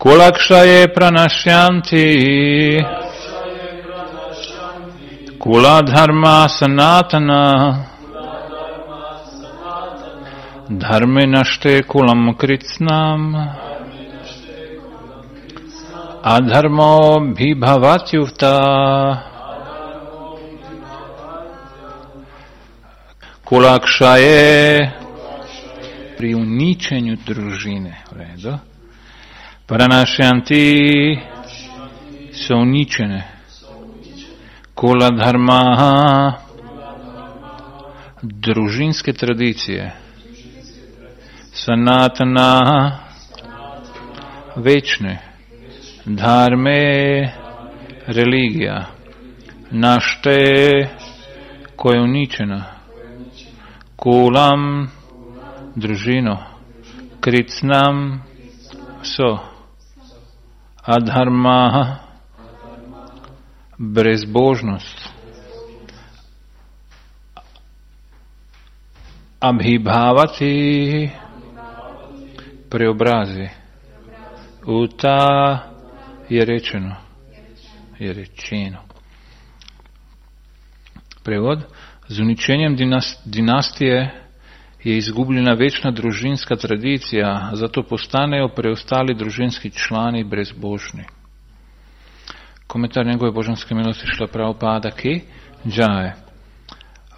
Kulakshaye pranashyanti Kula dharma sanatana Dharme nashte kulam kritsnam Adharmo bhibhavatyuvta Kulakshaye pri uničenju družine. U redu. Pranashyanti su uničene. Kula dharma družinske tradicije. Sanatana večne. Dharme religija. Našte koja je uničena. Kulam družino. Kritsnam so. Adharma brezbožnost. Abhibhavati preobrazi. Uta je rečeno. Je rečeno. Prevod. Z uničenjem dinastije je izgubljena večna družinska tradicija, zato postanejo preostali družinski člani brezbožni. Komentar njegove božanske milosti Šrila Prabhupada ki džaje.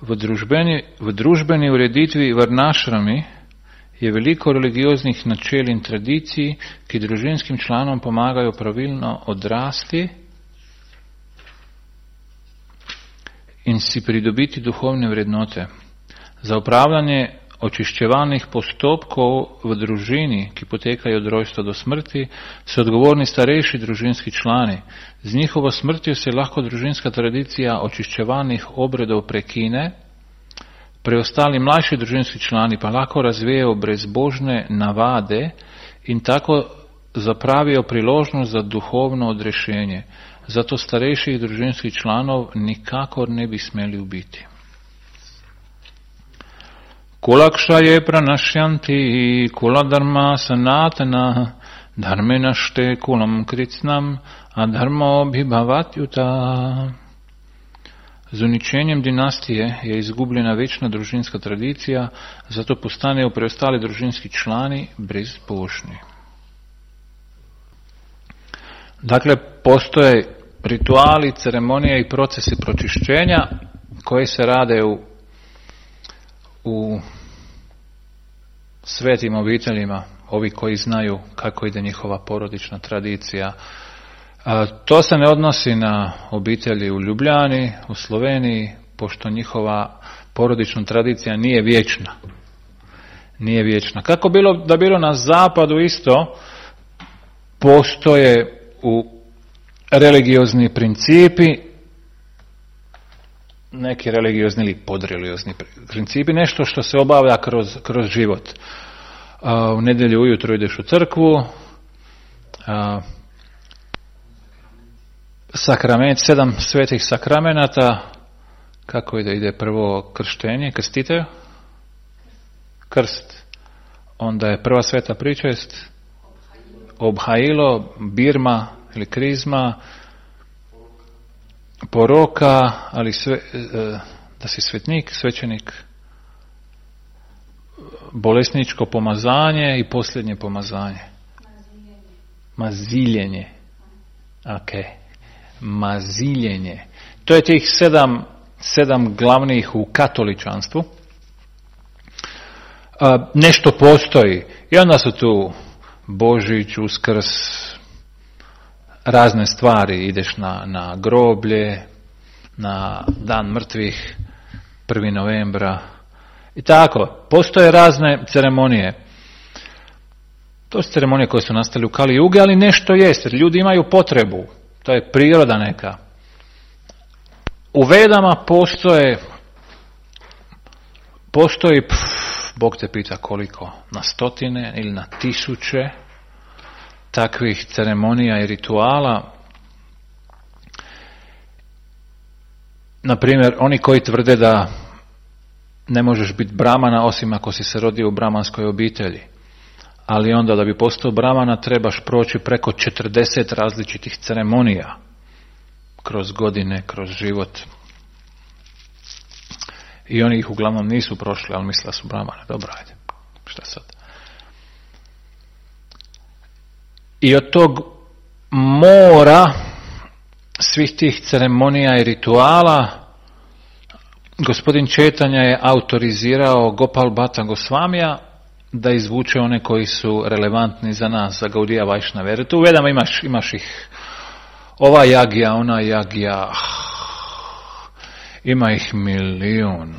V družbeni ureditvi varnašrami je veliko religioznih načel in tradicij, ki družinskim članom pomagajo pravilno odrasti in si pridobiti duhovne vrednote. Za upravljanje očiščevalnih postopkov v družini, ki potekajo od rojstva do smrti, so odgovorni starejši družinski člani. Z njihovo smrtjo se lahko družinska tradicija očiščevalnih obredov prekine, preostali mlajši družinski člani pa lahko razvijajo brezbožne navade in tako zapravijo priložnost za duhovno odrešenje. Zato starejših družinskih članov nikakor ne bi smeli ubiti. Kulakshaye pranashyanti kula dharma sanatana dharme našte kulam kritsnam adharmo bhibhavatyuta. Z uničenjem dinastije je izgubljena večna družinska tradicija, zato postanejo preostali družinski člani brezbožni. Dakle, postoje rituali, ceremonije i procesi pročišćenja koji se rade u svetim obiteljima, ovi koji znaju kako ide njihova porodična tradicija. To se ne odnosi na obitelji u Ljubljani, u Sloveniji, pošto njihova porodična tradicija nije vječna. Nije vječna. Kako bilo na zapadu isto, postoje u religiozni principi, neki religiozni ili podreligiozni principi, nešto što se obavlja kroz život. U nedjelju ujutro ideš u crkvu, sakrament, 7 svetih sakramenata, kako ide prvo krštenje, krstitelj, krst, onda je prva sveta pričest, obhajilo, birma ili krizma, poroka, ali da si svetnik, svećenik, bolesničko pomazanje i posljednje pomazanje. Maziljenje. Ok. Maziljenje. To je tih 7 glavnih u katoličanstvu. Nešto postoji. I onda su tu Božić, Uskrs, razne stvari. Ideš na groblje, na dan mrtvih, 1. novembra. I tako, postoje razne ceremonije. To su ceremonije koje su nastale u Kali Jugi, ali nešto jest, jer ljudi imaju potrebu. To je priroda neka. U Vedama postoji, Bog te pita koliko, na 100 ili na 1000 takvih ceremonija i rituala. Na primjer, oni koji tvrde da ne možeš biti bramana osim ako si se rodio u bramanskoj obitelji. ali onda da bi postao Brahmana trebaš proći preko 40 različitih ceremonija kroz godine, kroz život. I oni ih uglavnom nisu prošli, ali misle su Brahmane. Dobro, ajde, šta sad? I od tog mora svih tih ceremonija i rituala gospodin Četanja je autorizirao Gopal Bhatta Gosvamija da izvuče one koji su relevantni za nas, za Gaudija Vajšnave. Jer tu u Vedama imaš ih ova jagija, ona jagija, ima ih milijun.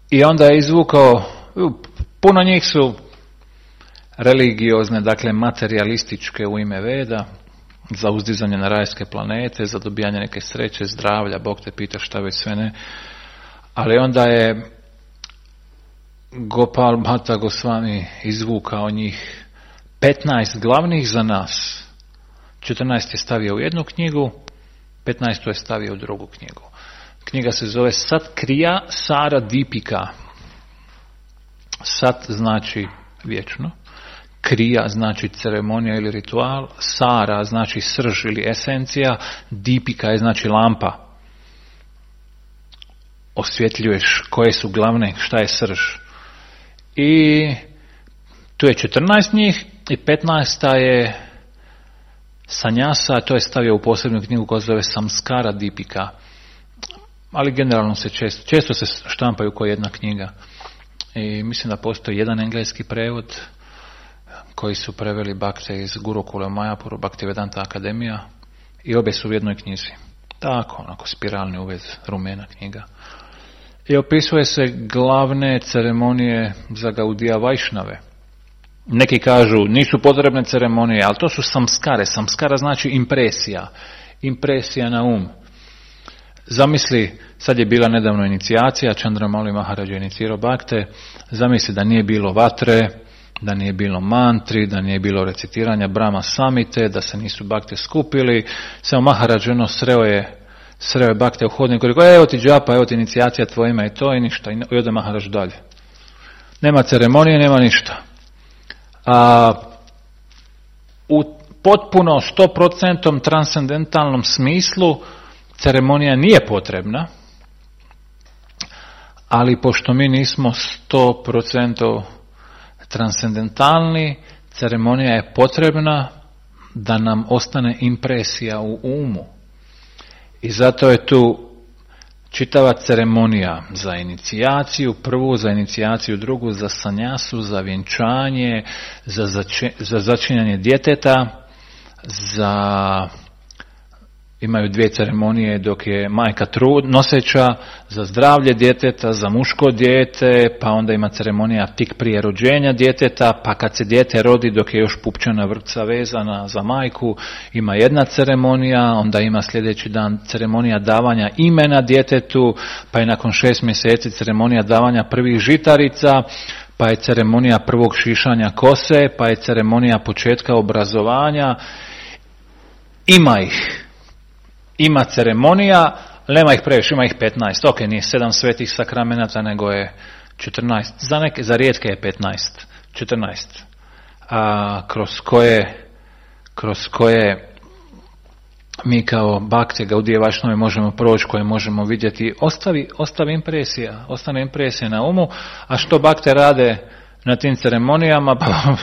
I onda je izvukao, puno njih su religiozne, dakle materialističke u ime Veda, za uzdizanje na rajske planete, za dobijanje neke sreće, zdravlja, Bog te pita šta već sve ne. Ali onda je Gopal Bhatta Gosvami izvukao njih 15 glavnih za nas. 14 je stavio u jednu knjigu, 15 je stavio u drugu knjigu. Knjiga se zove Sat Kriya Sara Dipika. Sat znači vječno, Kriya znači ceremonija ili ritual, Sara znači srž ili esencija, Dipika je znači lampa. Osvjetljuješ koje su glavne, šta je srž. I tu je 14 njih i 15 je Sanjasa, to je stavio u posebnu knjigu koja se zove Samskara Dipika. Ali generalno se često se štampaju kao jedna knjiga. I mislim da postoji jedan engleski prevod koji su preveli Bhakte iz Gurukula Majapuru, Bhaktivedanta Akademija, i obje su u jednoj knjizi. Tako, onako spiralni uvez, rumena knjiga. I opisuje se glavne ceremonije za Gaudija Vajšnave. Neki kažu nisu potrebne ceremonije, ali to su samskare. Samskara znači impresija. Impresija na um. Zamisli, sad je bila nedavno inicijacija, Chandramauli Maharaj je inicirao Bhakte, zamisli da nije bilo vatre, da nije bilo mantri, da nije bilo recitiranja Brahma Samite, da se nisu Bhakte skupili, samo Maharaj sreo je Bhakte u hodniku i rekao, evo ti džapa, evo ti inicijacija tvoje ime i to i ništa, i ode Maharaj dalje. Nema ceremonije, nema ništa. A u potpuno 100% transcendentalnom smislu ceremonija nije potrebna, ali pošto mi nismo 100% transcendentalni, ceremonija je potrebna da nam ostane impresija u umu. I zato je tu čitava ceremonija za inicijaciju, prvu za inicijaciju, drugu za sanjasu, za vjenčanje, za začinjanje djeteta, imaju 2 ceremonije dok je majka noseća, za zdravlje djeteta, za muško dijete, pa onda ima ceremonija tik prije rođenja djeteta, pa kad se dijete rodi dok je još pupčana vrpca vezana za majku, ima jedna ceremonija, onda ima sljedeći dan ceremonija davanja imena djetetu, pa je nakon 6 mjeseci ceremonija davanja prvih žitarica, pa je ceremonija prvog šišanja kose, pa je ceremonija početka obrazovanja. Ima ceremonija, nema ih previše, ima ih 15. Ok, nije 7 svetih sakramenata, nego je 14. Za rijetke je 15. 14. Kroz koje mi kao Bhakte Gaudija Vajšnave možemo proći, koje možemo vidjeti. Ostane impresija na umu. A što Bhakte rade na tim ceremonijama? Pa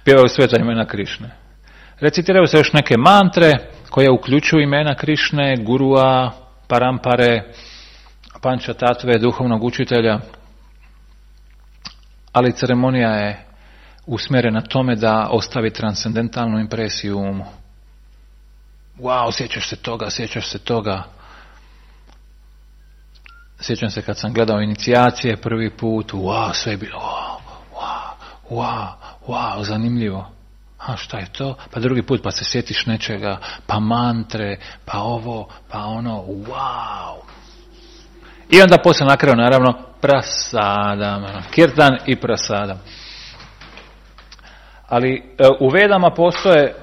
pjevaju sveta imena Krišne. Recitiraju se još neke mantre koje uključuju imena Krišne, Gurua, Parampare, Panča Tatve, duhovnog učitelja. Ali ceremonija je usmjerena tome da ostavi transcendentalnu impresiju u umu. Wow, sjećaš se toga. Sjećam se kad sam gledao inicijacije prvi put, wow, sve je bilo, wow, zanimljivo. A šta je to? Pa drugi put pa se sjetiš nečega, pa mantre, pa ovo, pa ono, wow. I onda poslije na kraju naravno prasadam, kirtan i prasadam. Ali u Vedama postoje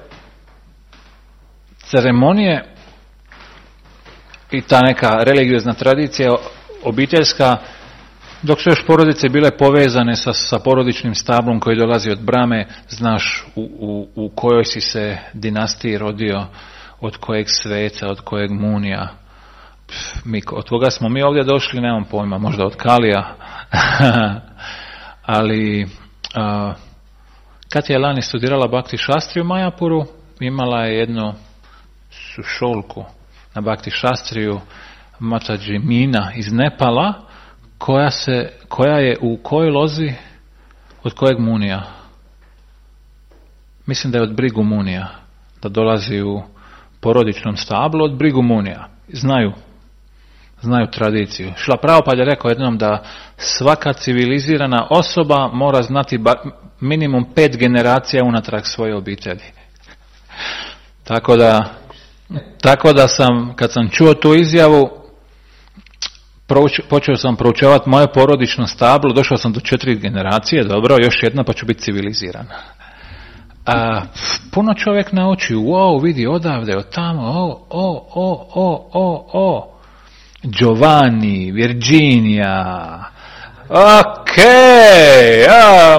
ceremonije i ta neka religiozna tradicija obiteljska Dok su još porodice bile povezane sa porodičnim stablom koji dolazi od brame, znaš u kojoj si se dinastiji rodio, od kojeg sveca, od kojeg munija. Od koga smo mi ovdje došli, nemam pojma, možda od Kalija. Ali kad je lani studirala Bhakti Shastri u Majapuru, imala je jednu sušolku na Bhakti Shastriju, Mataji Mina iz Nepala, koja je u kojoj lozi, od kojeg munija? Mislim da je od Brigu munija, da dolazi u porodičnom stablu od Brigu munija. Znaju tradiciju. Šrila Prabhupada je rekao jednom da svaka civilizirana osoba mora znati minimum 5 generacija unatrag svoje obitelji. Tako da sam, kad sam čuo tu izjavu, počeo sam proučavati moje porodično stablo, došao sam do 4 generacije, dobro, još jedna pa ću biti civiliziran. Puno čovjek nauči, wow, vidi odavde, od tamo, Giovanni, Virginia,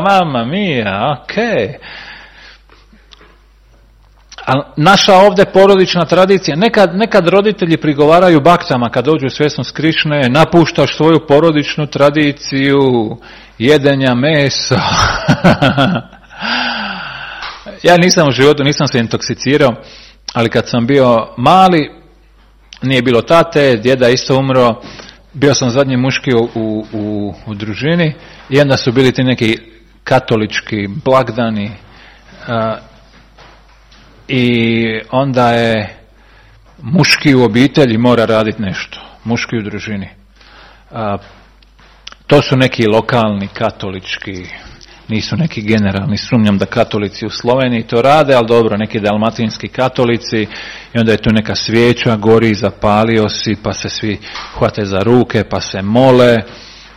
mamma mia, Ali naša ovdje porodična tradicija, nekad roditelji prigovaraju baktama kad dođu u svjesnost Krišne, napuštaš svoju porodičnu tradiciju jedenja mesa. Ja nisam u životu, nisam se intoksicirao, ali kad sam bio mali, nije bilo tate, djeda isto umro, bio sam zadnji muški u družini i onda su bili ti neki katolički blagdani i onda je muški u obitelji mora raditi nešto, muški u družini. To su neki lokalni katolički, nisu neki generalni, sumnjam da katolici u Sloveniji to rade, ali dobro, neki dalmatinski katolici i onda je tu neka svijeća, gori, zapalio si, pa se svi hvate za ruke, pa se mole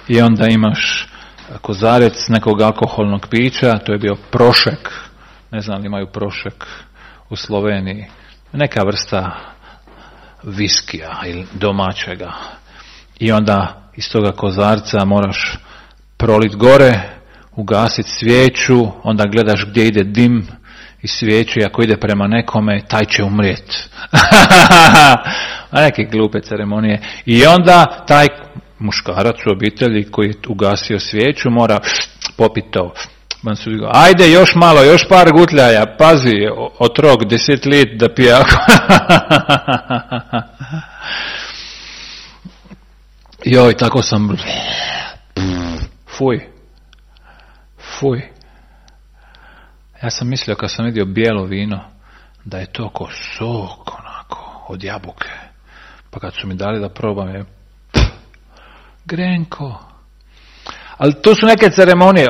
i onda imaš kozarec nekog alkoholnog pića, to je bio prošek, ne znam li imaju prošek u Sloveniji, neka vrsta viskija ili domaćega i onda iz toga kozarca moraš prolit gore, ugasiti svijeću, onda gledaš gdje ide dim iz svijeće, ako ide prema nekome, taj će umrijeti. A neke glupe ceremonije. I onda taj muškarac u obitelji koji je ugasio svijeću mora popiti to. Ajde još malo, još par gutljaja, pazi, otrok 10 lit da pije. Joj, tako sam... Fuj. Ja sam mislio kad sam vidio bijelo vino da je to ko sok onako od jabuke. Pa kad su mi dali da probam je grenko. Ali tu su neke ceremonije,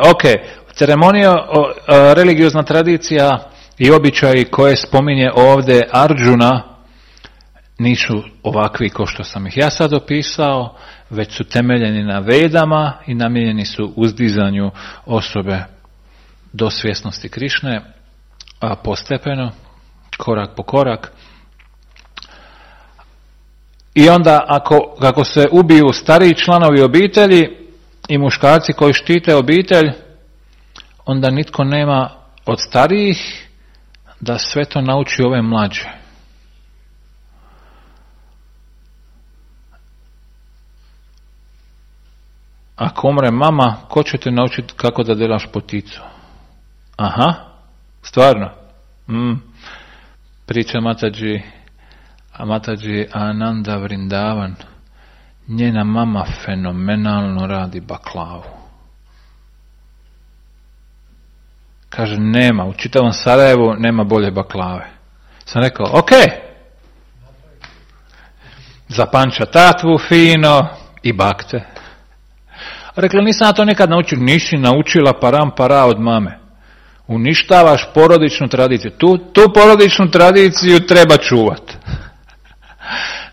ceremonija, religiozna tradicija i običaji koje spominje ovdje Arjuna nisu ovakvi kao što sam ih ja sad opisao, već su temeljeni na Vedama i namijenjeni su uzdizanju osobe do svjesnosti Krišne, a postepeno, korak po korak. I onda kako se ubiju stariji članovi obitelji i muškarci koji štite obitelj, onda nitko nema od starijih da sve to nauči ove mlađe. Ako umre mama, ko će te naučiti kako da delaš poticu? Aha, stvarno. Priča Mataji Ananda Vrindavan. Njena mama fenomenalno radi baklavu. Kaže, nema, u čitavom Sarajevu nema bolje baklave. Sam rekao, zapanča tatvu fino i bakte. Rekla, nisam na to nekad naučio. Nisi naučila param para od mame. Uništavaš porodičnu tradiciju. Tu porodičnu tradiciju treba čuvat.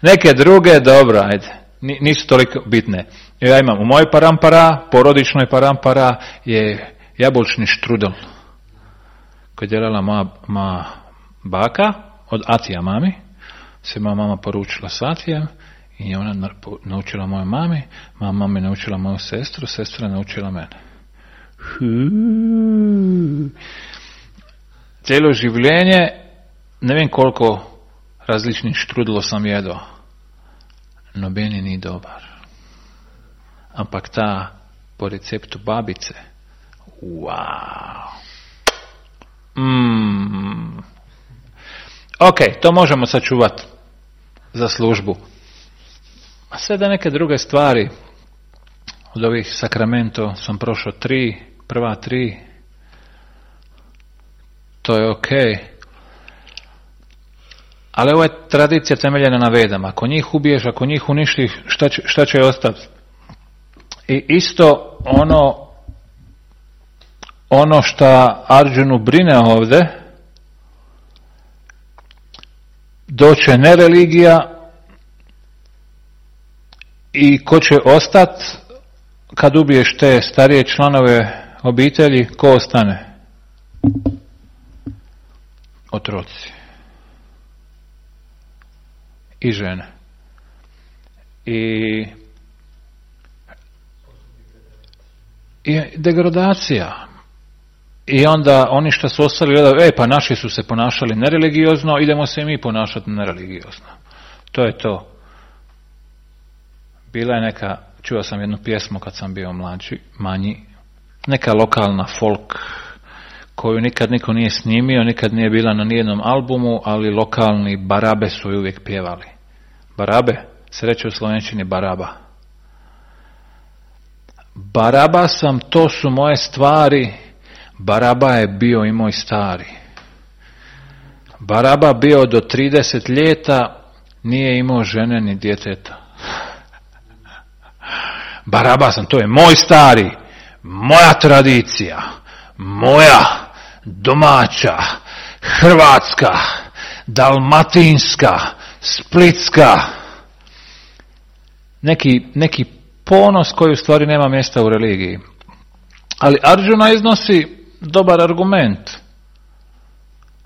Neke druge, dobro, ajde, nisu toliko bitne. Ja imam u mojoj parampara, porodičnoj parampara je jabučni štrudel koji je djelala moja baka od Atija mami. Se moja mama poručila s Atijem I ona naučila moju mami, mama me naučila moju sestru, sestra naučila mene. Cijelo življenje, ne vem koliko različnih štrudlo sam jedao, no meni ni dobar. Ampak ta po receptu babice, wow. Ok, to možemo sačuvati za službu. A sve da neke druge stvari, od ovih sakramento sam prošao prva tri, to je ok. Ali ovo je tradicija temeljena na vedama. Ako njih ubiješ, ako njih uništiš, šta će ostati? I isto ono što Arjunu brine ovdje, doće nereligija i ko će ostati kad ubiješ te starije članove obitelji, ko ostane? Otroci i žene. I degradacija. I onda oni što su ostali gledaju, pa naši su se ponašali nereligiozno, idemo se i mi ponašati nereligiozno. To je to. Bila je neka, čuo sam jednu pjesmu kad sam bio manji, neka lokalna folk koju nikad niko nije snimio, nikad nije bila na nijednom albumu, ali lokalni barabe su ju uvijek pjevali. Barabe se reče u slovenčini baraba. Baraba sam, to su moje stvari, Baraba je bio i moj stari. Baraba bio do 30 ljeta, nije imao žene ni djeteta. Baraba sam, to je moj stari, moja tradicija, moja domaća, hrvatska, dalmatinska, splitska. Neki ponos koji u stvari nema mjesta u religiji. Ali Arjuna iznosi dobar argument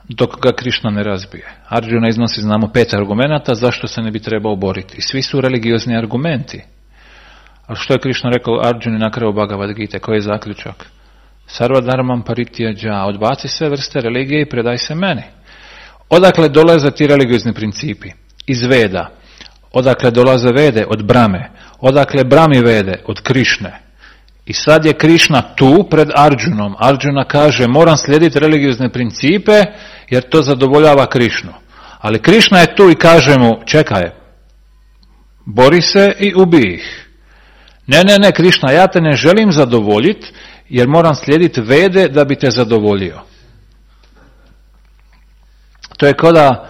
dok ga Krišna ne razbije. Arjuna iznosi, znamo, 5 argumenata zašto se ne bi trebao boriti. I svi su religiozni argumenti. Ali što je Krišna rekao Arjuni na kraju Bhagavad Gite? Koji je zaključak? Sarva dharmam parityaja, odbaci sve vrste religije i predaj se meni. Odakle dolaze ti religiozni principi? Iz Veda. Odakle dolaze Vede? Od Brame. Odakle Brami Vede? Od Krišne. I sad je Krišna tu pred Arjunom. Arjuna kaže, moram slijediti religiozne principe jer to zadovoljava Krišnu. Ali Krišna je tu i kaže mu, čekaj, bori se i ubij ih. Ne, Krišna, ja te ne želim zadovoljiti jer moram slijediti Vede da bi te zadovoljio. To je kao da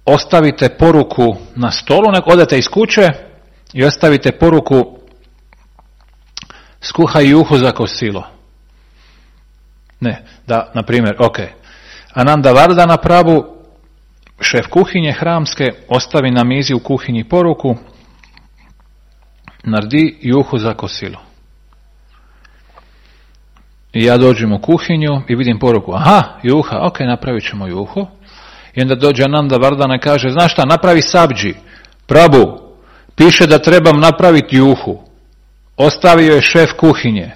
ostavite poruku na stolu, odete iz kuće i ostavite poruku, skuhaj juhu za kosilo. Ne, da, na primjer, ok. Ananda Vardana Prabhu, šef kuhinje hramske, ostavi na mizi u kuhinji poruku, naredi juhu za kosilo. I ja dođem u kuhinju i vidim poruku, aha, juha, ok, napravit ćemo juhu. I onda dođe Ananda Vardana i kaže, znaš šta, napravi sabdži. Prabhu, piše da trebam napraviti juhu. Ostavio je šef kuhinje.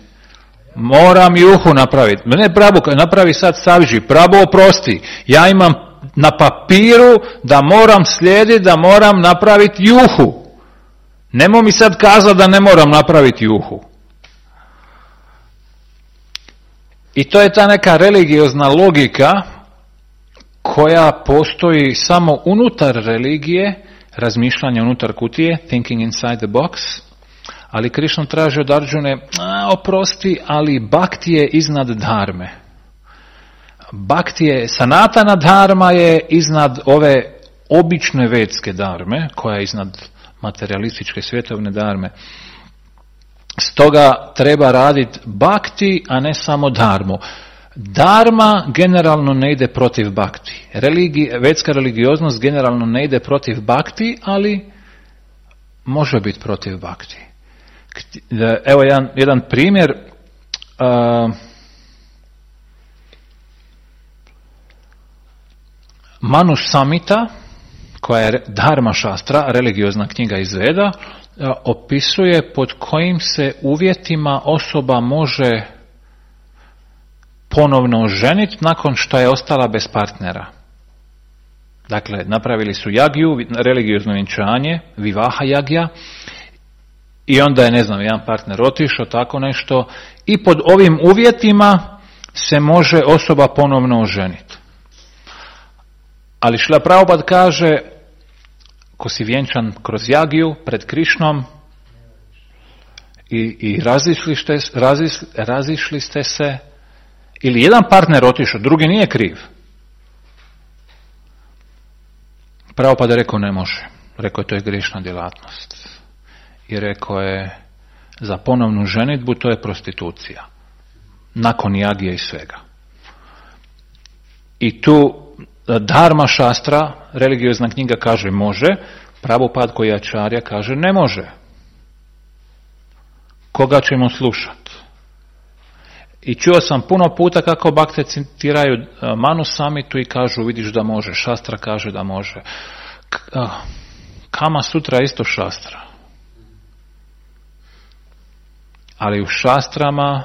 Moram juhu napraviti. Ne, Prabhu, napravi sad sabdži. Prabhu, oprosti. Ja imam na papiru da moram slijediti, da moram napraviti juhu. Nemo mi sad kazati da ne moram napraviti juhu. I to je ta neka religiozna logika koja postoji samo unutar religije, razmišljanje unutar kutije, thinking inside the box, ali Krišna traži od Arjune, oprosti, ali bhakti je iznad dharme. Bhakti je, sanatana dharma je iznad ove obične vedske dharme, koja je iznad materialističke svjetovne dharme. Stoga treba raditi bhakti, a ne samo dharmu. Dharma generalno ne ide protiv bhakti. Vedska religioznost generalno ne ide protiv bhakti, ali može biti protiv bhakti. Evo jedan primjer. Manu Samhita, koja je Dharma Šastra, religiozna knjiga iz Veda, opisuje pod kojim se uvjetima osoba može ponovno ženiti nakon što je ostala bez partnera. Dakle, napravili su jagiju, religiozno vjenčanje, vivaha jagija, i onda je, ne znam, jedan partner otišao, tako nešto, i pod ovim uvjetima se može osoba ponovno oženiti. Ali Šrila Prabhupada kaže, ko si vjenčan kroz jagiju pred Krišnom i razišli ste se, ili jedan partner otišao, drugi nije kriv. Prabhupada je rekao ne može. Rekao je to je grešna djelatnost. I rekao je za ponovnu ženidbu to je prostitucija. Nakon jagije i svega. I tu Dharma Šastra, religiozna knjiga, kaže može, Prabhupada koji je Acharya kaže ne može. Koga ćemo slušati? I čuo sam puno puta kako bakte citiraju Manu Samhitu i kažu vidiš da može, Šastra kaže da može. Kama Sutra je isto Šastra. Ali u šastrama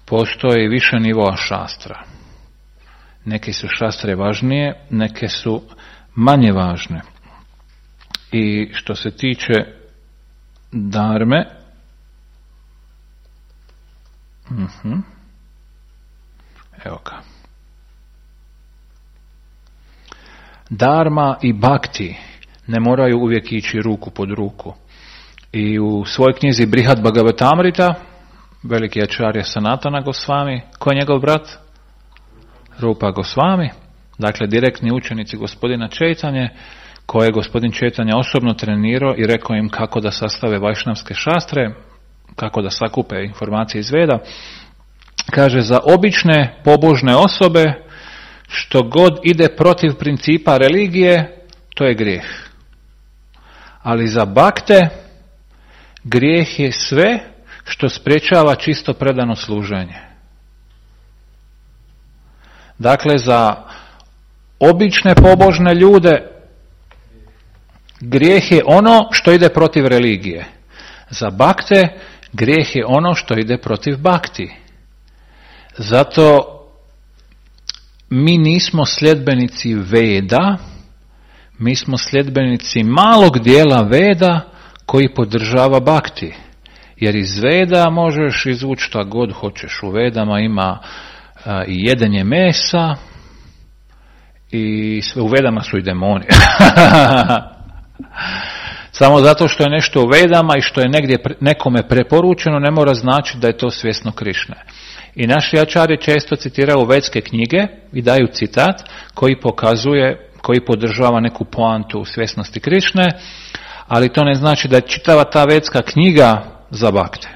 postoji više nivoa šastra. Neke su šastre važnije, neke su manje važne. I što se tiče dharme, evo ga. Dharma i bhakti ne moraju uvijek ići ruku pod ruku. I u svojoj knjizi Brihad Bhagavatamrita, veliki Acharya Sanatana Gosvami, ko je njegov brat? Rupa Gosvami, dakle direktni učenici gospodina Čejtanje, koje je gospodin Čejtanja osobno trenirao i rekao im kako da sastave vajšnavske šastre, kako da sakupe informacije iz Veda. Kaže, za obične pobožne osobe što god ide protiv principa religije, to je grijeh. Ali za bakte grijeh je sve što sprječava čisto predano služenje. Dakle, za obične pobožne ljude grijeh je ono što ide protiv religije. Za bakte grijeh je ono što ide protiv bakti. Zato mi nismo sljedbenici Veda, mi smo sljedbenici malog dijela Veda koji podržava bakti. Jer iz Veda možeš izvući šta god hoćeš. U Vedama ima i jedenje mesa i u Vedama su i demoni. Samo zato što je nešto u Vedama i što je negdje nekome preporučeno ne mora značiti da je to svjesno Krišne. I naši Acharya često citiraju vedske knjige i daju citat koji podržava neku poantu u svjesnosti Krišne, ali to ne znači da je čitava ta vedska knjiga za bakte.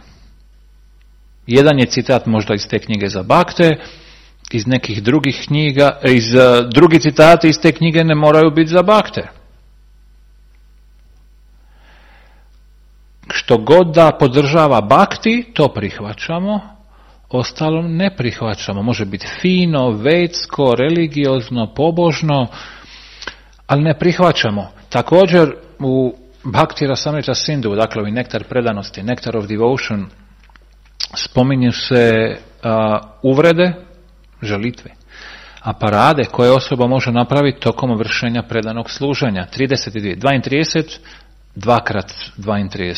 Jedan je citat možda iz te knjige za bakte, iz nekih drugih knjiga, drugi citati iz te knjige ne moraju biti za bakte. Što god da podržava bakti, to prihvaćamo, ostalo ne prihvaćamo. Može biti fino, vedsko, religiozno, pobožno, ali ne prihvaćamo. Također u Bhakti Rasamrita Sindhu, dakle u nektar predanosti, Nectar of Devotion, spominju se uvrede, žalitve, a parade koje osoba može napraviti tokom vršenja predanog služenja. 32, 2x32.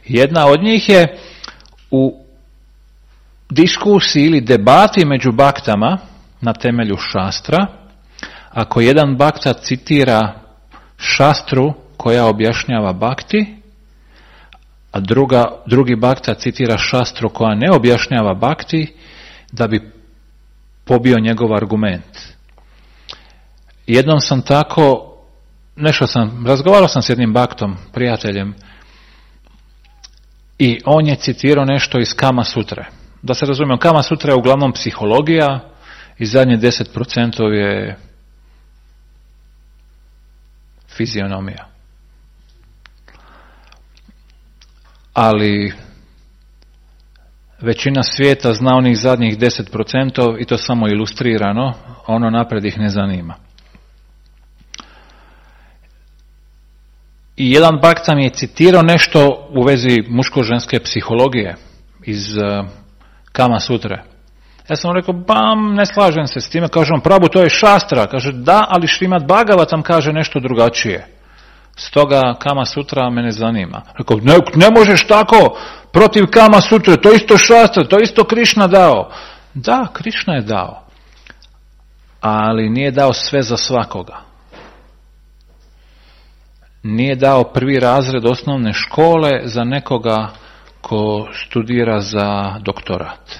Jedna od njih je u diskusiji ili debati među baktama na temelju šastra. Ako jedan bakta citira šastru koja objašnjava bakti, a drugi bakta citira šastru koja ne objašnjava bakti, da bi pobio njegov argument. Jednom sam tako, razgovarao sam s jednim baktom, prijateljem, i on je citirao nešto iz Kama Sutre. Da se razumijemo, Kama Sutra je uglavnom psihologija i zadnje 10% je fizionomija. Ali većina svijeta zna onih zadnjih 10% i to samo ilustrirano, ono napred ih ne zanima. I jedan bhakta mi je citirao nešto u vezi muško-ženske psihologije iz Kama Sutre. Ja sam rekao, ne slažem se s time. Kaže on, Prabhu, to je šastra. Kaže, da, ali Šrimad Bhagavatam kaže nešto drugačije. Stoga Kama Sutra me ne zanima. Rekao, ne možeš tako protiv Kama Sutre, to isto šastra, to isto Krišna dao. Da, Krišna je dao. Ali nije dao sve za svakoga. Nije dao prvi razred osnovne škole za nekoga ko studira za doktorat.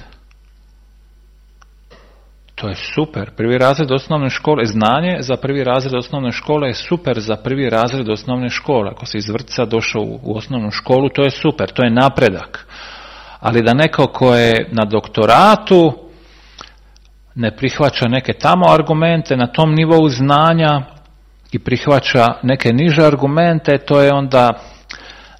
To je super. Prvi razred osnovne škole, znanje za prvi razred osnovne škole je super za prvi razred osnovne škole. Ako si iz vrtca došao u osnovnu školu, to je super, to je napredak. Ali da neko ko je na doktoratu ne prihvaća neke tamo argumente na tom nivou znanja i prihvaća neke niže argumente, to je onda,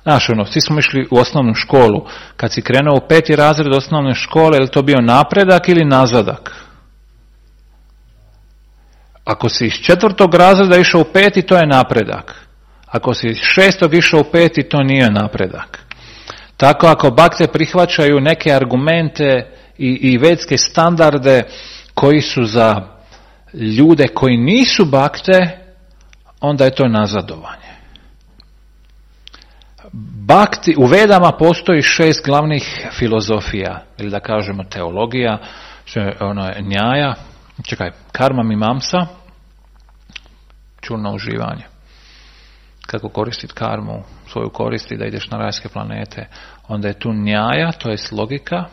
znaš, svi smo išli u osnovnu školu. Kad si krenuo u 5. razred osnovne škole, je li to bio napredak ili nazadak? Ako si iz 4. razreda išao u 5. to je napredak. Ako si iz 6. išao u 5. to nije napredak. Tako ako bakte prihvaćaju neke argumente i vedske standarde koji su za ljude koji nisu bakte, onda je to nazadovanje. Bhakti, u Vedama postoji 6 glavnih filozofija, ili da kažemo teologija, ono je njaja, karma mimamsa, čurno uživanje. Kako koristiti karmu, svoju korist i da ideš na rajske planete. Onda je tu njaja, to je logika,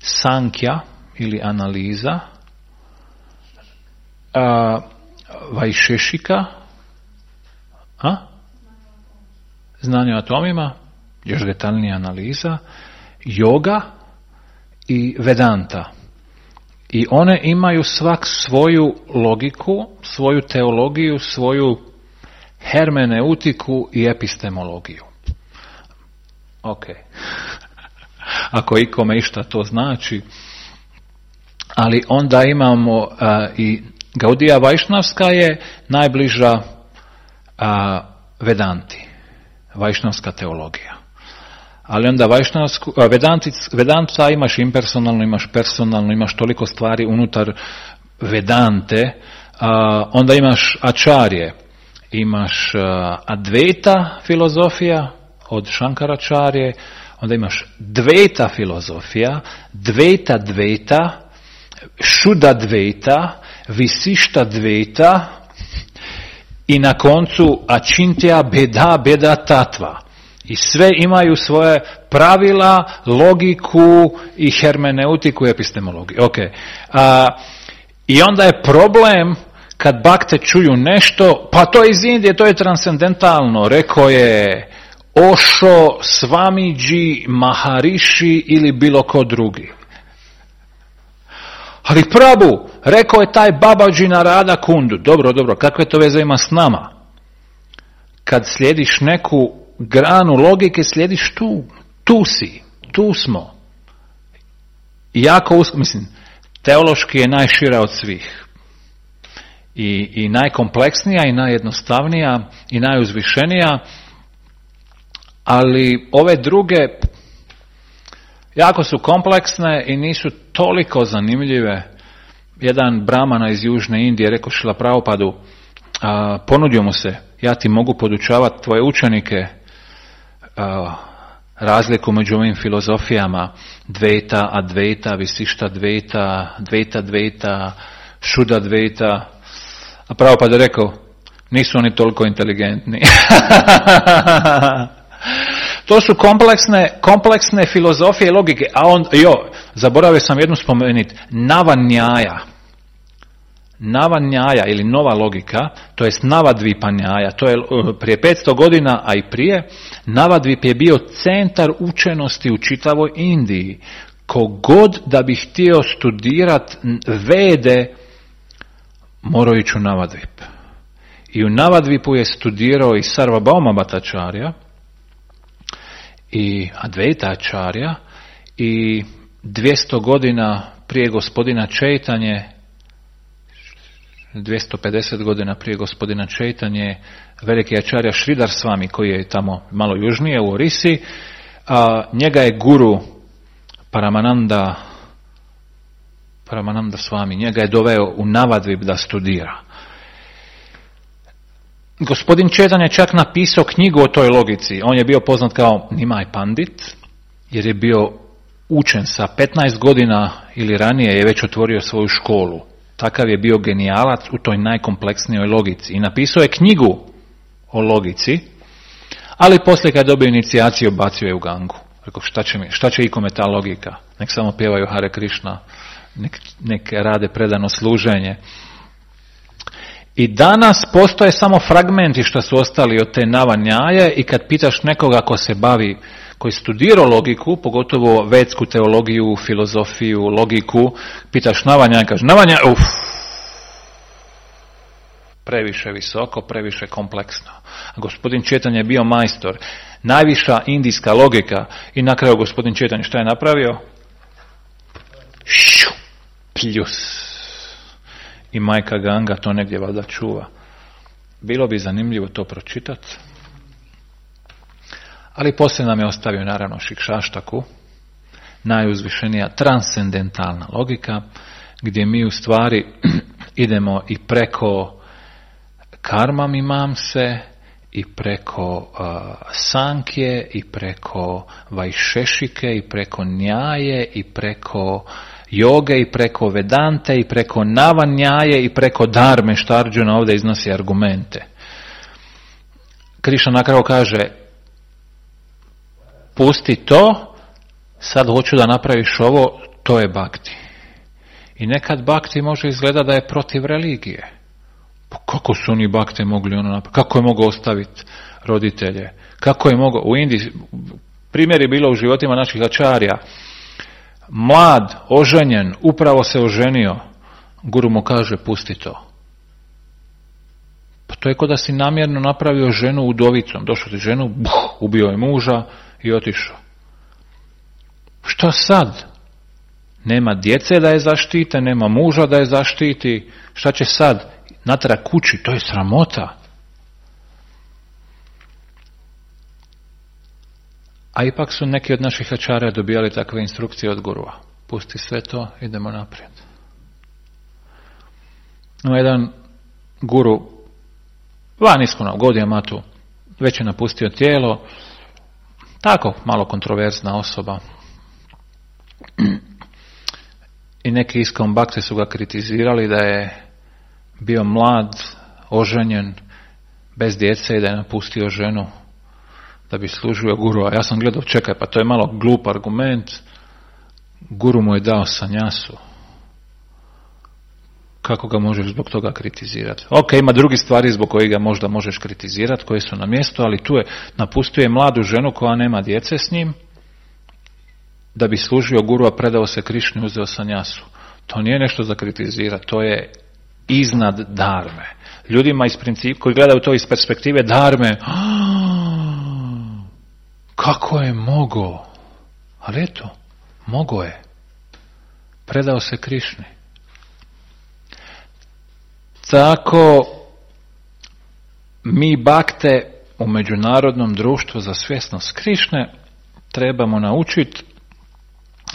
sankja ili analiza, vajšešika, znanje o atomima, još detaljnija analiza, yoga i vedanta. I one imaju svak svoju logiku, svoju teologiju, svoju hermeneutiku i epistemologiju. Ok. Ako ikome išta to znači. Ali onda imamo i Gaudija Vajšnavska je najbliža Vedanti. Vajšnavska teologija. Ali onda Vedanta imaš impersonalno, imaš personalno, imaš toliko stvari unutar Vedante. Onda imaš Ačarje. Imaš Advaita filozofija od Šankaračarje. Onda imaš Dvaita filozofija, Dvaita Dvaita, Šuda Dvaita, Visišta Dvaita i na koncu Ačintja Beda Tatva. I sve imaju svoje pravila, logiku i hermeneutiku i epistemologiju. Okay. I onda je problem kad bakte čuju nešto, pa to je iz Indije, to je transcendentalno, rekao je Osho, Swamiji, Maharishi ili bilo ko drugi. Ali Prabhu, rekao je taj Babaji Narada Kundu. Dobro, kakve to veze ima s nama? Kad slijediš neku granu logike, slijediš tu si, tu smo. Jako teološki je najšira od svih. I najkompleksnija, i najjednostavnija, i najuzvišenija, ali ove druge jako su kompleksne i nisu toliko zanimljive. Jedan brahmana iz Južne Indije rekao Šrila Prabhupadu, ponudio mu se, ja ti mogu podučavati tvoje učenike razliku među ovim filozofijama Dvaita, Advaita, Visišta Dvaita, Dvaita Dvaita, Šuda Dvaita. A Prabhupada je rekao, nisu oni toliko inteligentni. To su kompleksne filozofije i logike. Zaboravio sam jednu spomenuti. Nava-njaja ili nova logika, to jest Navadvipa-njaja, to je prije 500 godina, a i prije, Navadvip je bio centar učenosti u čitavoj Indiji. Kogod da bi htio studirati Vede, morao ići u Navadvip. I u Navadvipu je studirao i Sarvabhauma Bhattacharya, i Advaita Acharya, i 200 godina prije gospodina Čaitanje 250 godina prije gospodina Čaitanje, veliki ačarja Sridhar Swami, koji je tamo malo južnije u Orisi, njega je guru Paramananda Swami, njega je doveo u Navadvip da studira. Gospodin Čaitanje je čak napisao knjigu o toj logici. On je bio poznat kao Nimai Pandit, jer je bio učen sa 15 godina ili ranije je već otvorio svoju školu. Takav je bio genijalac u toj najkompleksnijoj logici. I napisao je knjigu o logici, ali poslije kad je dobio inicijaciju, bacio je u Gangu. Rekao, šta će ikome ta logika? Nek samo pjevaju Hare Krishna, nek rade predano služenje. I danas postoje samo fragmenti što su ostali od te navanjaje i kad pitaš nekoga ko se bavi, koji studirao logiku, pogotovo vedsku teologiju, filozofiju, logiku, pitaš navanjaje, kaže navanjaje, previše visoko, previše kompleksno. A gospodin Čaitanje je bio majstor, najviša indijska logika i na kraju gospodin Čaitanje šta je napravio? Pljus. I majka Ganga to negdje valjda čuva. Bilo bi zanimljivo to pročitati. Ali poslije nam je ostavio naravno Šikšaštaku, najuzvišenija transcendentalna logika, gdje mi u stvari idemo i preko karma mimamse, i preko sankje, i preko vajšešike, i preko njaje, i preko joge, i preko vedante, i preko navanjaje, i preko dharme, što Arjuna ovdje iznosi argumente. Krišna na kraju kaže, pusti to, sad hoću da napraviš ovo, to je bhakti. I nekad bhakti može izgleda da je protiv religije. Pa kako su oni bhakte mogli ono napraviti? Kako je mogao ostaviti roditelje? Kako je mogao, u Indiji, primjer je bilo u životima naših ačarja, mlad, oženjen, upravo se oženio, guru mu kaže, pusti to. Pa to je kao da si namjerno napravio ženu udovicom, došao ti ženu, ubio je muža i otišao. Što sad? Nema djece da je zaštite, nema muža da je zaštiti, šta će sad? Natrag kući, to je sramota. A ipak su neki od naših ačarja dobijali takve instrukcije od gurua. Pusti sve to, idemo naprijed. No, jedan guru, van iskona, Gaudiya Matu, već je napustio tijelo, tako malo kontroverzna osoba. I neki Iskon Bhakti su ga kritizirali da je bio mlad, oženjen, bez djece i da je napustio ženu da bi služio guru. A ja sam gledao, čekaj, pa to je malo glup argument. Guru mu je dao sanjasu. Kako ga možeš zbog toga kritizirati? Ok, ima drugi stvari zbog kojih ga možda možeš kritizirati, koje su na mjestu, ali tu je, napustio je mladu ženu koja nema djece s njim, da bi služio guru, a predao se Krišni, uzeo sanjasu. To nije nešto za kritizirati, to je iznad dharme. Ljudima iz principa, koji gledaju to iz perspektive dharme, kako je mogao? Ali eto, mogao je. Predao se Krišni. Tako mi bakte u Međunarodnom društvu za svjesnost Krišne trebamo naučiti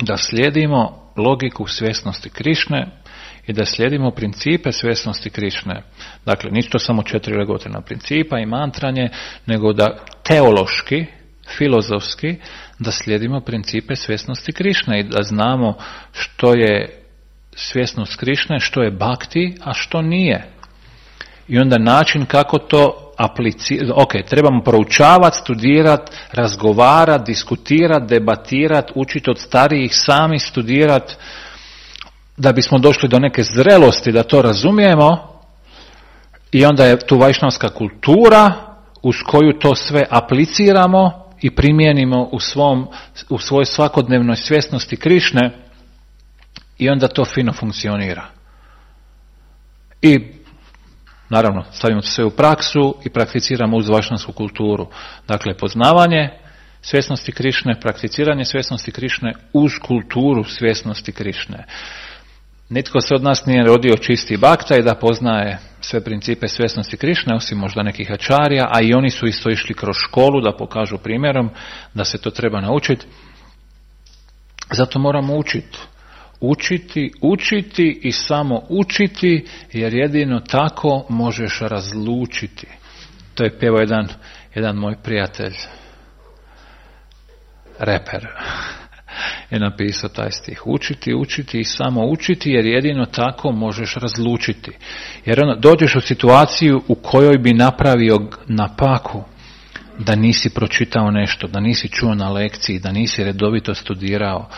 da slijedimo logiku svjesnosti Krišne i da slijedimo principe svjesnosti Krišne. Dakle, nisu to samo 4 legotrena principa i mantranje, nego da teološki, filozofski, da slijedimo principe svjesnosti Krišne i da znamo što je svjesnost Krišne, što je bhakti, a što nije. I onda način kako to aplicirati. Ok, trebamo proučavati, studirati, razgovarati, diskutirati, debatirati, učiti od starijih, sami studirati, da bismo došli do neke zrelosti da to razumijemo. I onda je tu vajšnavska kultura uz koju to sve apliciramo i primijenimo u svojoj svakodnevnoj svjesnosti Krišne i onda to fino funkcionira. I naravno stavimo to sve u praksu i prakticiramo uz vajšnavsku kulturu. Dakle, poznavanje svjesnosti Krišne, prakticiranje svjesnosti Krišne uz kulturu svjesnosti Krišne. Nitko se od nas nije rodio čisti bakta i da poznaje sve principe svjesnosti Krišne, osim možda nekih ačarija, a i oni su isto išli kroz školu da pokažu primjerom da se to treba naučiti. Zato moramo učiti i samo učiti, jer jedino tako možeš razlučiti. To je pjevao jedan moj prijatelj, reper, je napisao taj stih. Učiti i samo učiti, jer jedino tako možeš razlučiti. Jer dođeš u situaciju u kojoj bi napravio napaku da nisi pročitao nešto, da nisi čuo na lekciji, da nisi redovito studirao.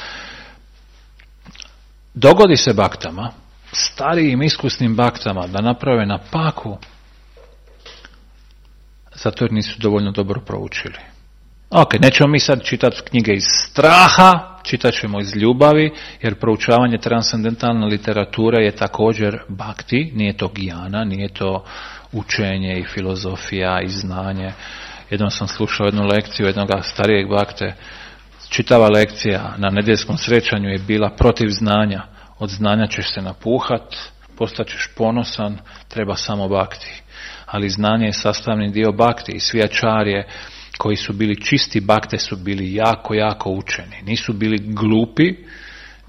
Dogodi se baktama, starijim iskusnim baktama, da naprave napaku zato jer nisu dovoljno dobro proučili. Ok, nećemo mi sad čitati knjige iz straha, čitat ćemo iz ljubavi, jer proučavanje transcendentalne literature je također bhakti, nije to gijana, nije to učenje i filozofija i znanje. Jednom sam slušao jednu lekciju jednog starijeg bhakte, čitava lekcija na nedjeljskom srećanju je bila protiv znanja. Od znanja ćeš se napuhat, postaćeš ponosan, treba samo bhakti. Ali znanje je sastavni dio bhakti i svi ačarje koji su bili čisti bakte su bili jako, jako učeni. Nisu bili glupi,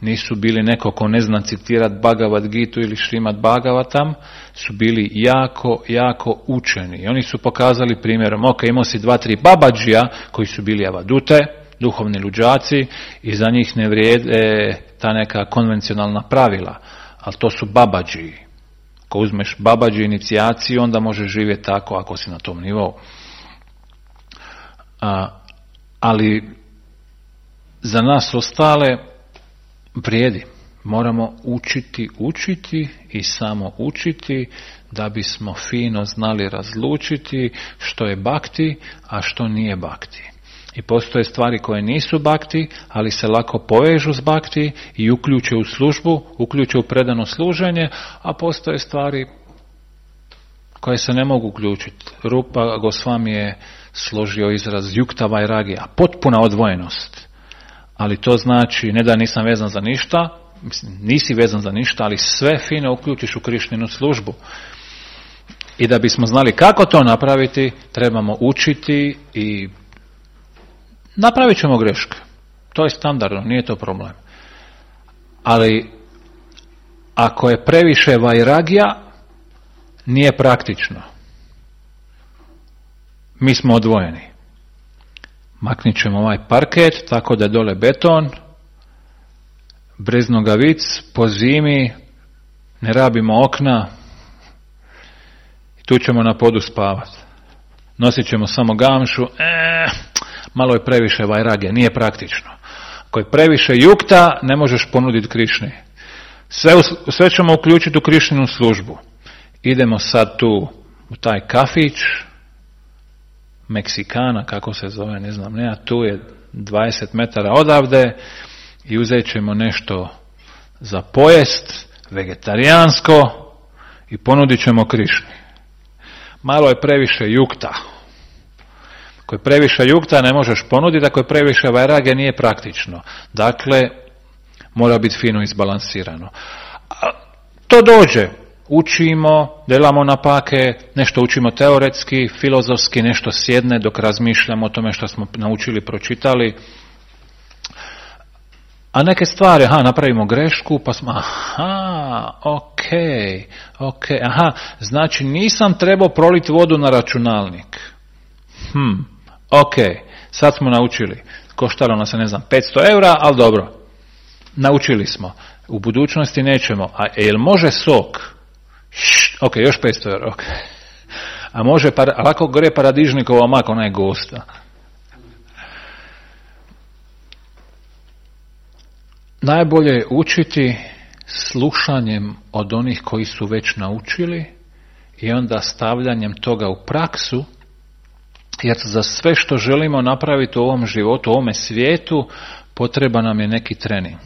nisu bili neko ko ne zna citirati Bhagavad Gitu ili Šrimad Bhagavatam, su bili jako, jako učeni. I oni su pokazali primjerom, ok, imao si 2-3 babadžija koji su bili avadute, duhovni luđaci, i za njih ne vrijede ta neka konvencionalna pravila, ali to su babadžiji. Ako uzmeš babadži inicijaciju, onda možeš živjeti tako ako si na tom nivou. Ali za nas ostale vrijedi. Moramo učiti i samo učiti da bismo fino znali razlučiti što je bhakti, a što nije bhakti. I postoje stvari koje nisu bhakti, ali se lako povežu s bhakti i uključe u službu, uključe u predano služenje, a postoje stvari koje se ne mogu uključiti. Rupa Gosvami je složio izraz yukta vairagija, potpuna odvojenost. Ali to znači ne da nisam vezan za ništa, nisi vezan za ništa, ali sve fino uključiš u Krišninu službu. I da bismo znali kako to napraviti, trebamo učiti i napravit ćemo greške. To je standardno, nije to problem. Ali ako je previše vairagija, nije praktično. Mi smo odvojeni. Maknit ćemo ovaj parket tako da je dole beton, brez nogavic, po zimi, ne rabimo okna i tu ćemo na podu spavati. Nosit ćemo samo gamšu, malo je previše vairagije, nije praktično. Ako je previše jukta, ne možeš ponuditi Krišni. Sve ćemo uključiti u Krišninu službu. Idemo sad tu u taj kafić, Meksikana, kako se zove, ne znam, tu je 20 metara odavde i uzet ćemo nešto za pojest, vegetarijansko, i ponudit ćemo Krišni. Malo je previše jukta. Ako je previše jukta, ne možeš ponuditi, ako je previše vairage, nije praktično. Dakle, mora biti fino izbalansirano. To dođe. Učimo, delamo napake, nešto učimo teoretski, filozofski, nešto sjedne dok razmišljamo o tome što smo naučili, pročitali. A neke stvari, napravimo grešku, pa smo, ok, znači nisam trebao proliti vodu na računalnik. Ok, sad smo naučili. Koštalo nas je, 500 eura, ali dobro. Naučili smo. U budućnosti nećemo. A jel može sok? Ok, još 500 eura, ok. A može, lako gre paradižnikova mak, ona je gosta. Najbolje je učiti slušanjem od onih koji su već naučili i onda stavljanjem toga u praksu, jer za sve što želimo napraviti u ovom životu, u ovome svijetu, potreba nam je neki trening.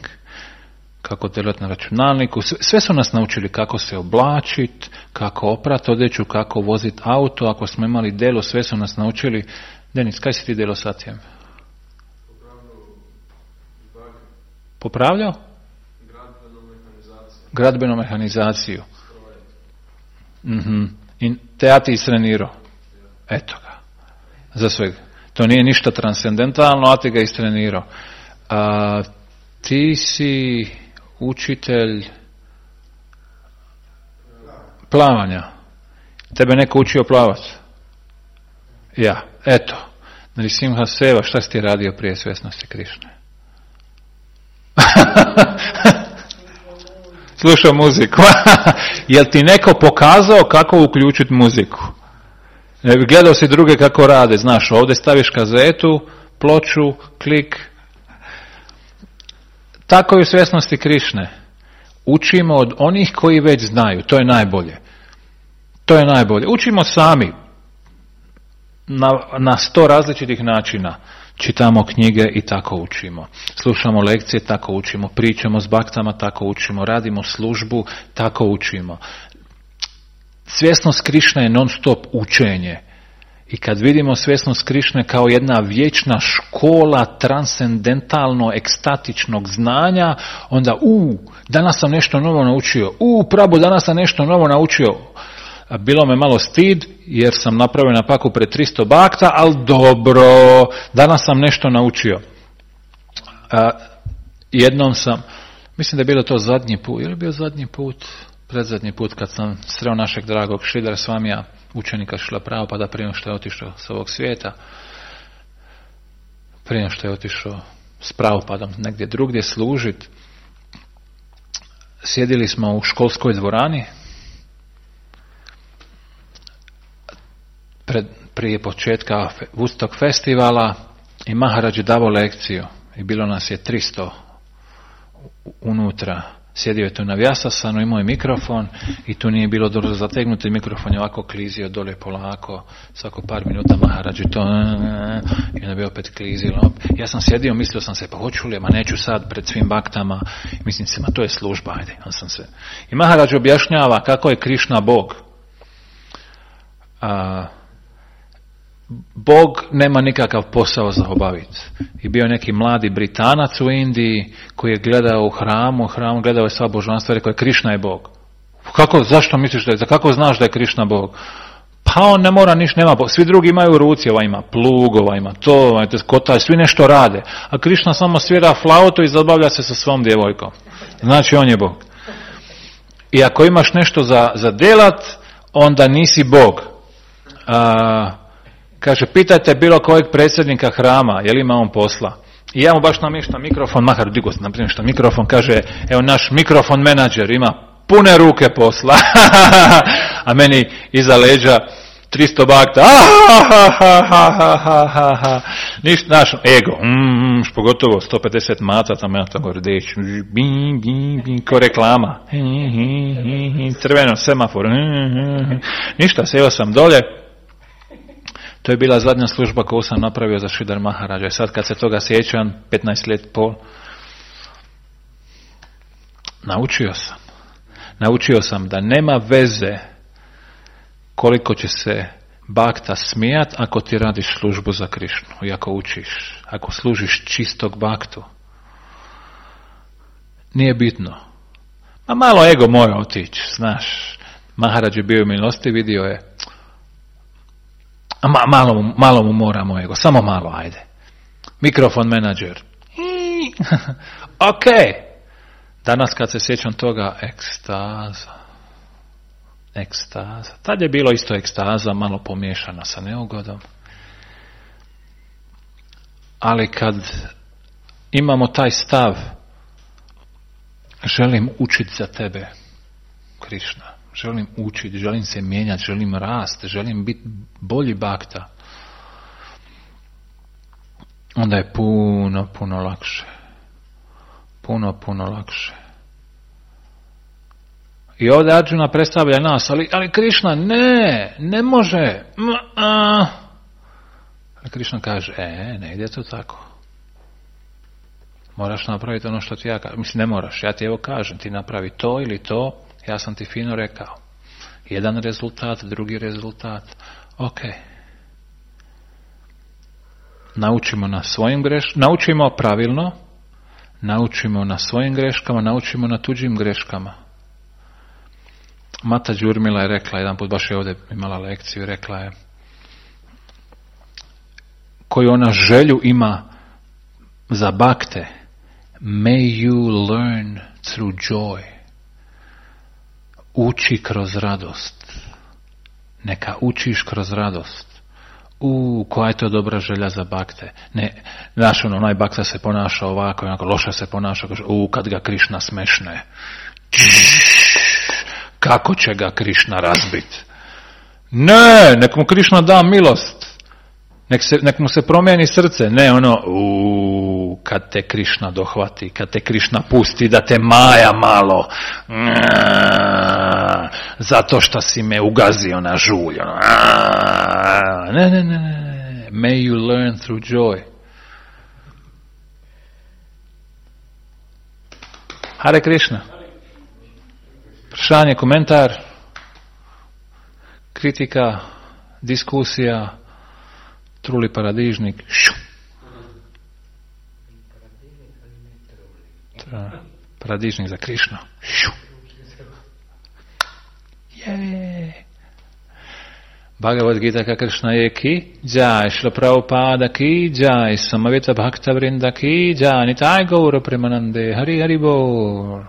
Kako delati na računalniku, sve su nas naučili kako se oblačiti, kako oprati odjeću, kako voziti auto, ako smo imali delo, sve su nas naučili. Denis, kaj si ti delo satjem? Popravljao? Gradbenu mehanizaciju. I te ja ti istrenirao. Eto ga. Za svega. To nije ništa transcendentalno, a ti ga istrenirao. Ti si učitelj plavanja. Tebe neko učio plavat? Ja. Eto. Nrisimha Seva, šta si ti radio prije svjesnosti Krišne? Slušao muziku. Jel ti neko pokazao kako uključiti muziku? Gledao si druge kako rade, znaš, ovdje staviš kazetu, ploču, klik. Tako je u svjesnosti Krišne. Učimo od onih koji već znaju, to je najbolje. To je najbolje. Učimo sami. Na 100 različitih načina. Čitamo knjige i tako učimo. Slušamo lekcije, tako učimo. Pričamo s baktama, tako učimo. Radimo službu, tako učimo. Svjesnost Krišne je non stop učenje. I kad vidimo svjesnost Krišne kao jedna vječna škola transcendentalno ekstatičnog znanja, onda danas sam nešto novo naučio. Prabo, danas sam nešto novo naučio. Bilo me malo stid jer sam napravio napaku pred 300 bakta, ali dobro, danas sam nešto naučio. Jednom sam, mislim da je bilo to zadnji put, je li bio zadnji put? Predzadnji put kad sam sreo našeg dragog Šridhara Swamija, učenika Šrila Prabhupada, prije nego što je otišao s ovog svijeta, prije nego što je otišao s Prabhupadom negdje drugdje služit, sjedili smo u školskoj dvorani, prije početka Woodstock festivala, i Maharaj je davao lekciju i bilo nas je 300 unutra. Sjedio je tu na Vyasasanu, imao je mikrofon i tu nije bilo dobro zategnuti, mikrofon je ovako klizio dole polako, svako par minuta Maharaj to i onda bi opet klizilo. Ja sam sjedio, mislio sam se, pa hoću li, ma neću sad pred svim baktama, mislim se, ma to je služba, ajde. I Maharaj objašnjava kako je Krišna Bog. Bog nema nikakav posao za obaviti. I bio neki mladi Britanac u Indiji koji je gledao u hramu gledao je sva božanstva i rekao je Krišna je Bog. Zašto misliš kako znaš da je Krišna Bog? Pa on ne mora ništa, nema Bog. Svi drugi imaju ruci, ova ima plug, ova ima to, ova ima kotaj, svi nešto rade. A Krišna samo svira flautu i zabavlja se sa svom djevojkom. Znači on je Bog. I ako imaš nešto za delat, onda nisi Bog. Kaže, pitajte bilo kojeg predsjednika hrama, je li ima on posla? I ja mu baš namještam mikrofon, Mahar digo se namještam mikrofon, kaže, evo naš mikrofon menadžer ima pune ruke posla, a meni iza leđa 300 bakta, ništa, naš ego, pogotovo 150 maca, tam ja tako rdeč, ko reklama, crveno, semafor, ništa, sjeo sam dolje. To je bila zadnja služba koju sam napravio za Šridhar Maharaja. Sad kad se toga sjećam, 15 let pol, naučio sam da nema veze koliko će se bakta smijat ako ti radiš službu za Krišnu i ako učiš, ako služiš čistog baktu. Nije bitno. Ma malo ego mora otići, znaš. Maharaj je bio u milosti, vidio je. Malo mu moramo ego, samo malo, ajde. Mikrofon menadžer. Ok. Danas kad se sjećam toga, ekstaza. Tad je bilo isto ekstaza, malo pomiješana sa neugodom. Ali kad imamo taj stav, želim učiti za tebe, Krišna. Želim učiti, želim se mijenjati, želim rast, želim biti bolji bakta. Onda je puno lakše. Puno lakše. I ovdje Arjuna predstavlja nas, ali Krišna, ne može. Ali Krišna kaže, ne ide to tako. Moraš napraviti ono što ti ja kažem. Mislim, ne moraš, ja ti evo kažem, ti napravi to ili to. Ja sam ti fino rekao. Jedan rezultat, drugi rezultat. Ok. Naučimo na svojim greškama, naučimo pravilno, naučimo na svojim greškama, naučimo na tuđim greškama. Mata Đurmila je rekla, jedan put baš je ovdje imala lekciju, rekla je koju ona želju ima za bakte. May you learn through joy. Uči kroz radost. Neka učiš kroz radost. Koja je to dobra želja za bakte. Ne, znaš, onaj bakta se ponaša ovako, onako loše se ponaša, kaže, kad ga Krišna smešne. Kako će ga Krišna razbit? Ne, nek mu Krišna da milost. Nek mu se promijeni srce. Ne, kad te Krišna dohvati, kad te Krišna pusti da te maja malo. Zato što si me ugazio na žulj. Ne. May you learn through joy. Hare Krišna. Vprašanje, komentar, kritika, diskusija, truli paradižnik. Paradižnik za Krišnu. Bhagavad Gita ka Krishna je ki jai, Śrīla Prabhupada ki jai, Samaveta Bhakta Vrinda ki jai, Nitai Gaura Premanande, Hari Hari Bol.